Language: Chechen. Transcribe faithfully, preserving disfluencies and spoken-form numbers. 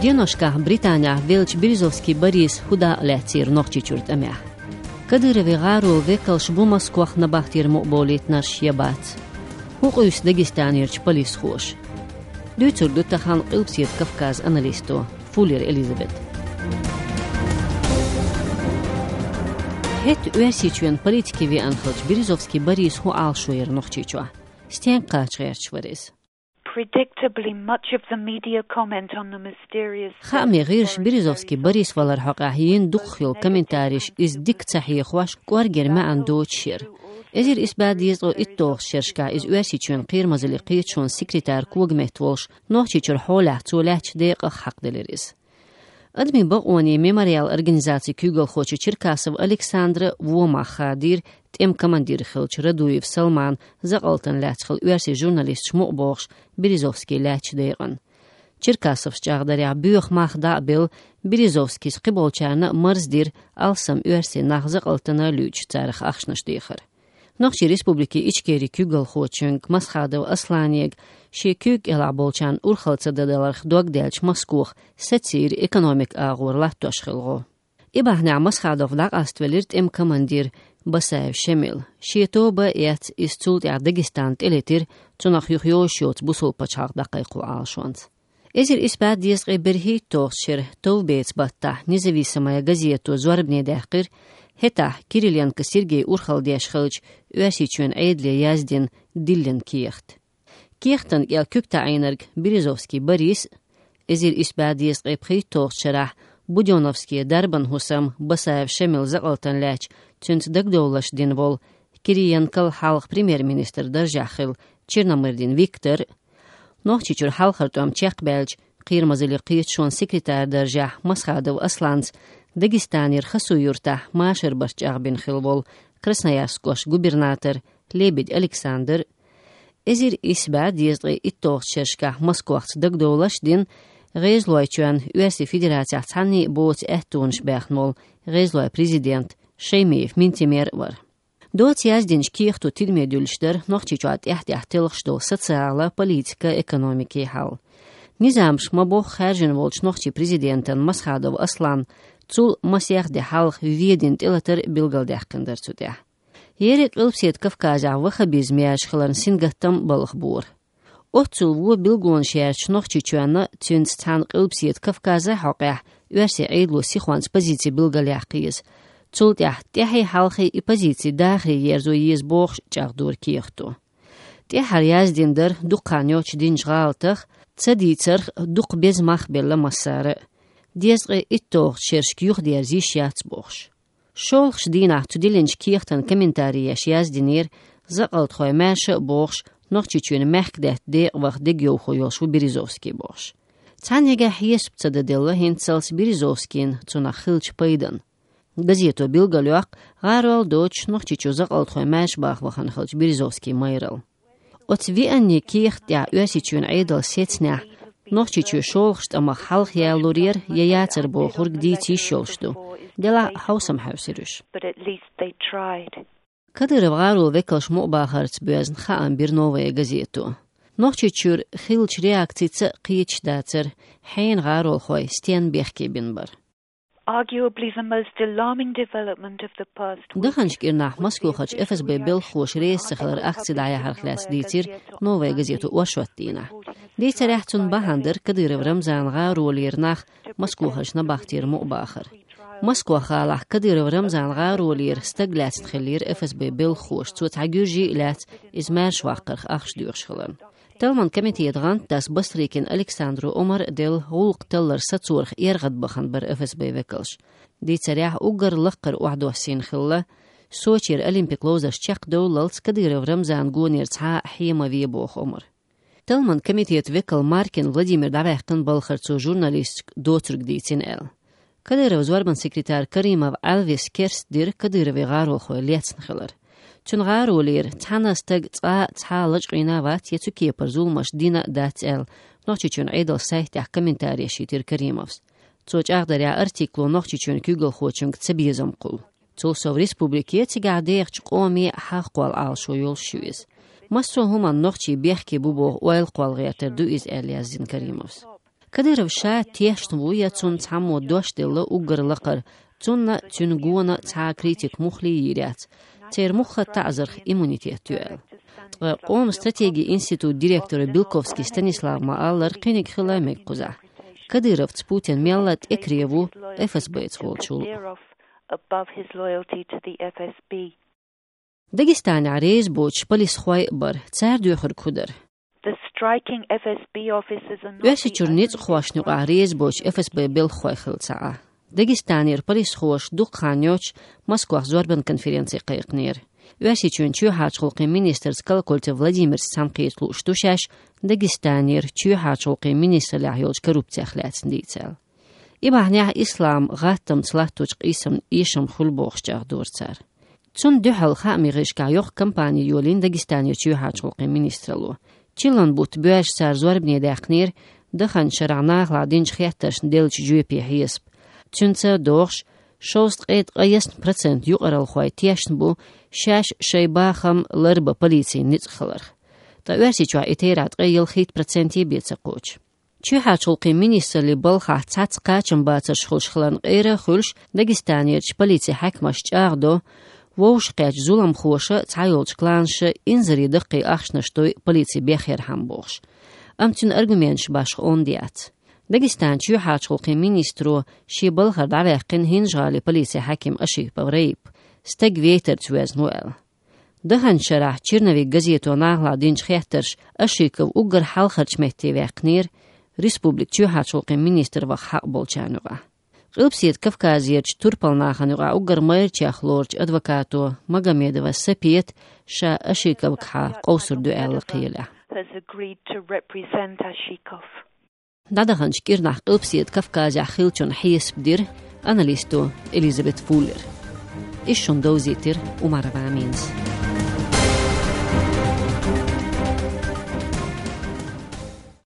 Деношкахь Британехь веллачу Березовский Бориса хӀун дакъа лаьцнера Нохчийчуьра тӀамехь? Кадыровн гӀаролан векалш бу Москох набахтера мукъаболийтинарш я бац? ХӀун къуьйсу Дагестанерчу полисхоша? Дуьйцур ду тахана Къилбаседа Кавказан аналисто Фуллер Элизабета. ХӀетахь Оьрсийчоьнан политике веана хиллачу Березовский Бориса хӀун Ӏалашо яра Нохчийчохь? Стенга кхача гӀерташ вара иза? Predictably, much of the media comment on the mysterious Хаамийн гӀирсаша Березовский Борис валаран хьокъехь йина дукхахйолу комментареш иза дика ца хьехош, кӀоргера маьӀна доцуш яра. Эзар исс бӀе дезткъе итталгӀачу шерашкахь иза Оьрсийчоьнан кхерамазаллин кхеташонан секретаран когаметта волуш, Нохчийчуьра хьолехь цо лаьттачу декъах хьакхаделира иза. Адамийн бакъонийн Мемориал организацин куьйгалхочо Черкасов Александра вон мах хадийра тӀеман командир хиллачу Радуев Салманан закъалтана лаьцна хилла оьрсийн журналисташ мукъабохуш Березовский лаьттачу декъана. Черкасовс чӀагӀдарехь, боьха мах дӀа а белла, Березовскийс кхиболчарна а марздира алсам оьрсийн нах закъалтана луьйча царах ахчанаш дехар. Нохчийн Республикин Ичкерин куьйгалхочуьнга Масхадов Асланега шен куьйга кӀелахь болчарна урхалла ца дан даларх дог даьлча Москох сацийра экономикан агӀор латтош хилла гӀо. И бахьанехь Масхадов дӀакъаставелира тӀеман командир Басаев Шемил. Шен тоба а эцна, иза цул тӀаьхьа Дагестан тӀелетира, цунах юха йозуш йоцу бусалба пачхьалкх дӀакхайкхо Ӏалашонца. Эзар исс бӀе дезткъе берхӀитталгӀачу шеран товбецан баттахь Независимая газето зорбане даьккхира хӀетахь Кириленко Сергей урхалла деш хиллачу Оьрсийчоьнан Ӏедале яздина диллина кехат. Кехатан кӀел куьг таӀийнарг Березовский Борис, эзар исс бӀе дезткъе пхийтталгӀачу шарахь Будённовская дарбан хӀусам Басаев Шемил закъалтана лаьцча цуьнца дагадовларш дина волу, Кириенкол хьалха премьер-министран даржехь хилла Черномырдин Виктор, Нохчийчуьра хьалхара тӀом чекхбаьлча, кхерамазаллин кхеташонан секретаран даржехь Масхадов Асланца Дагестанера Хасуй-Юртахь машар барт чӀагӀбина хилла волу Красноярск кӀоштан губернатор Лебедь Александр, эзар исс бӀе дезткъе итталгӀачу шерашкахь Москохца дагадовларш дина ГӀезалойчоьнна Оьрсийн Федерацехь цхьанний а боцу аьттонаш баьхна волу ГӀезалойн президент Шаймиев Минтимер а вара. Доцца яздинчу кехато тидаме дуьллуш дара Нохчийчохь тӀаьхь-тӀаьхьа телхаш долу социалан, политикан, экономикин хьал. Низамаш ма-бохху хаьржина волчу нохчийн президентан Масхадов Асланан цул масех де хьалха Ведина тӀелатар билгалдаьккхина дара цу тӀехь. Ерриг Къилбаседа Кавказехь ваххабизм яьржа хиларна сингаттам балхабора. Оццул вон билгалонаш яьржачу Нохчийчоьнна, цуьнца цхьаьна Къилбаседа Кавказан хьокъехь оьрсийн Ӏедало сихонца позици билгалъяккха еза. Цул тӀаьхьа тӀаьххьий-хьалхий и позици дахаре ерзо еза бохуш чӀагӀдора кехато. ТӀаьххьара яздина дара дукха хан йоццуш динчу гӀалатах, ца дийцарх дукха беза мах белла массара а, дезткъе итталгӀачу шерашка юхадерза йиш яц бохуш. ШолгӀачу дийнахь цу диллинчу кехатан комментари еш яздинера, закъалтхой маьрша а бохуш, Нохчийчоьнан мехкдаьтта декъа ваха дегайовхо йолуш ву Березовский бохуш. Цхьаннегахь хьесап ца дан делла хӀинццалц Березовскийна цунах хиллачу пайданна. Газето билгалйоккху гӀарол доцуш Нохчийчу закъалтхой маьрша баха вахана хиллачу Березовскийн майралла. Оцу вианний кехат тӀехь Оьрсийчоьнан Ӏедалан сецнехь, Нохчийчоь шолгӀачу тӀамах хьалха ялалур яра я яцара бохург дийца йиш йолуш ду. Делахь хьовсам хьаьвсира уьш. But at least they tried. Кадыровн гӀаролан векалш мукъабахарца боьзна хаам бира «Новая газето». Нохчийчуьра хиллачу реакцица а кхеташ дацара, хьенан гӀаролхой стенна бехке бина бара. Arguably the most alarming development of the past week. Даханчу кӀирнахь Москохарчу ФСБ белхахоша реза ца хилар акци дӀаяхьарх лаьцна дийцира «Новая газето» оршот дийнахь. Дийцарехь, цунна бахьана дара Кадыров Рамзанан гӀаролера нах Москохарчу набахтера мукъабахар. Москох гӀалахь Кадыров Рамзанан гӀаролера стаг лаьцна хиллера ФСБ белхахоша, цо цхьа гуьржи а лаьцна, иза маьршаваккхарх ахча доьхуш хиларна. Талламан комитетан гӀантдас Бастрыкин Александро омра делла гӀуллакх таллар сацорах эргӀадбахана бара ФСБ векалш. Дийцарехь, уггар лакхара охьадоссийна хилла Сочера Олимпик ловзарш чекхдовллалц Кадыров Рамзанан гонера цхьа а хье ма ве боху омра. Талламан комитетан векал Маркин Владимир дӀаваьккхина балхара цо журналисташка доцург дийцина аьлла. Кадыровн зорбанан секретарь Каримов Ӏелвис керстдира Кадыровн гӀаролхой лецна хилар. Цуьнан гӀаролера цхьана а стага цкъа а цхьа а лачкъийна а вац я цу кепара зуламаш дина а дац аьлла, Нохчийчоьнан Ӏедалан сайтехь комментари йитира Каримовс. Цо чӀагӀдарехь, артикло Нохчийчоьнан куьйгалхочуьнга цабезам кхуллу. Цул сов, республике а, цигахь дехачу къоме а хьагӀ кхолла Ӏалашо йолуш ю иза. Массо а хӀуманна нохчий бехке бу боху ойла кхолла гӀертар ду иза, аьлла яздина Каримовс. Кадыров ша тешна ву, я цунна цхьаммо дош делла уггар лакхара, цунна, цуьнан гонах цхьа а критика муххале йийр яц. Церан муьлхха а таӀзарх иммунитет ю аьлла. Ткъа Къоман стратегин институтан директора Белковский Станислава ма-аллара, кхиниг хилла мега кхузахь. Кадыровца Путин мелла а тӀекаре ву ФСБ-ца волчул. Дагестанехь реза боцуш полисхой а бара, цара доьхург хӀун дара? Оьрсийчуьра ницкъахошна юкъахь реза боцуш ФСБ-н белхахой хилла ца Ӏа. Дагестанера полисхоша дукха хан йоццуш Москвахь зорбан конференци кхайкхинера. Оьрсийчоьнан чоьхьарчу гӀуллакхийн министрца Колокольцев Владимирца цхьаьнакхета лууш ду шаьш Дагестанера чоьхьарчу гӀуллакхийн министраллехь йолчу коррупцех лаьцна дийца аьлла. И бахьанехь ислам гӀаттамца латточу къийсамна эшам хуьлу бохуш чӀагӀдора цара. Цунна дуьхьал хаамийн гӀирсашкахь йоккха кампани йолийна Дагестанера чоьхьарчу гӀуллакхийн министралло. Чиллан бутт боьрзуш цара зорбане даьккхинера даханчу шарахь нахалахь динчу хеттаршна деллачу жоьпийн хьесап. Цуьнца догӀуш, шовзткъе ткъаясна процент юкъаралхой тешна бу шаьш шайн бахам ларбан полицин ницкъ хиларх. Ткъа Оьрсийчохь и терахь ткъе ялхитта проценте бен ца кхочу. Чоьхьарчу гӀуллакхийн министраллин балхахь цхьацца кхачамбацарш хуьлуш хиларна къера а хуьлуш, Дагестанерчу полицин хьаькамаша чӀагӀдо, вовшахкхетта зуламхоша, цхьайолчу кланаша инзаре даккхий ахчанаш дой полици бехъярхьама бохуш. Амма цуьнан аргументаш башха онда яц. Дагестанан чоьхьарчу гӀуллакхийн министро шен балхара дӀаваьккхина ХӀинжа-ГӀалин полицин хьаькам Ашиков Раип, стаг вейтарца воьзна ву аьлла. Даханчу шарахь «Черновик» газето нахалахь динчу хеттарша Ашиков уггар хьалхарчу метте ваьккхинера, республикан чоьхьарчу гӀуллакхийн министр ваха хьакъ болчарна юкъахь. Къилбаседа Кавказерчу турпалнахана юкъахь уггар майрачех лоручу адвокато Магомедова Сапиета ша Ашиковгахьа къовсур ду аьлла кхелехь. ДӀадаханчу кӀирнахь Къилбаседа Кавказехь хиллачун хьесап дира аналисто Элизабет Фуллер. Иза шуна довзийтира Умарова Аминас.